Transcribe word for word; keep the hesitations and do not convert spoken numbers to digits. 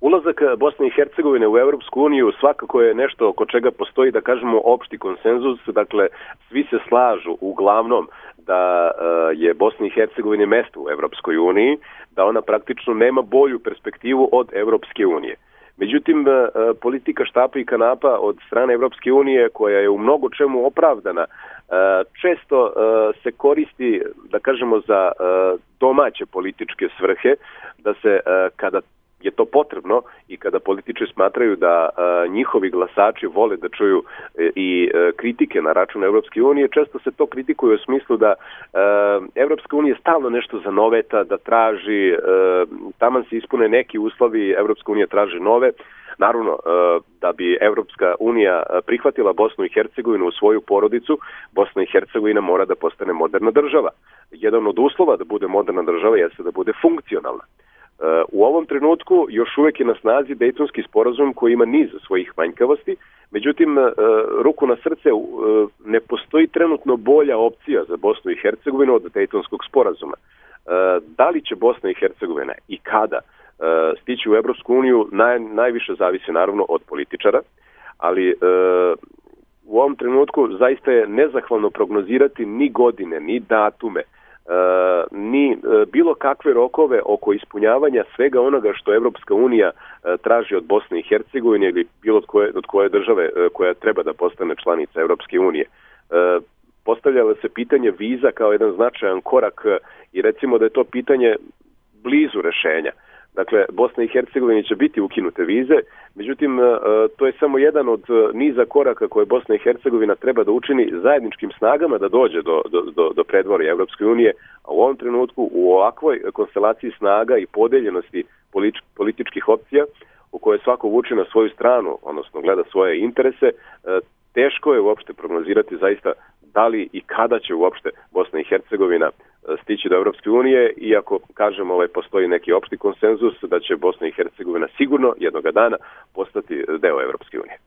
Ulazak Bosne i Hercegovine u Evropsku uniju svakako je nešto oko čega postoji, da kažemo, opšti konsenzus. Dakle, svi se slažu uglavnom da je Bosna i Hercegovina mesto u Evropskoj uniji, da ona praktično nema bolju perspektivu od Evropske unije. Međutim, politika štapa i kanapa od strane Evropske unije, koja je u mnogo čemu opravdana, često se koristi, da kažemo, za domaće političke svrhe, da se kada je to potrebno i kada političari smatraju da a, njihovi glasači vole da čuju e, i e, kritike na račun Evropske unije, često se to kritikuje u smislu da a, Evropska unija stalno nešto zanoveta, da traži, a, taman se ispune neki uslovi, Evropska unija traži nove. Naravno, a, da bi Evropska unija prihvatila Bosnu i Hercegovinu u svoju porodicu, Bosna i Hercegovina mora da postane moderna država. Jedan od uslova da bude moderna država jeste da bude funkcionalna. U ovom trenutku još uvek je na snazi Dejtonski sporazum koji ima niz svojih manjkavosti, međutim, ruku na srce, ne postoji trenutno bolja opcija za Bosnu i Hercegovinu od Dejtonskog sporazuma. Da li će Bosna i Hercegovina i kada stići u Evropsku uniju naj, najviše zavisi naravno od političara, ali u ovom trenutku zaista je nezahvalno prognozirati ni godine, ni datume, Uh, ni uh, bilo kakve rokove oko ispunjavanja svega onoga što Evropska unija uh, traži od Bosne i Hercegovine ili bilo od koje, od koje države uh, koja treba da postane članica Evropske unije. Uh, postavljalo se pitanje viza kao jedan značajan korak uh, i recimo da je to pitanje blizu rešenja. Dakle, Bosna i Hercegovina će biti ukinute vize, međutim, to je samo jedan od niza koraka koje Bosna i Hercegovina treba da učini zajedničkim snagama da dođe do, do, do predvorja Evropske unije, a u ovom trenutku u ovakvoj konstelaciji snaga i podeljenosti političkih opcija u kojoj svako vuče na svoju stranu, odnosno gleda svoje interese, teško je uopšte prognozirati zaista da li i kada će uopšte Bosna i Hercegovina stići do Evropske unije, iako, kažem, ovaj, postoji neki opšti konsenzus da će Bosna i Hercegovina sigurno jednoga dana postati deo Evropske unije.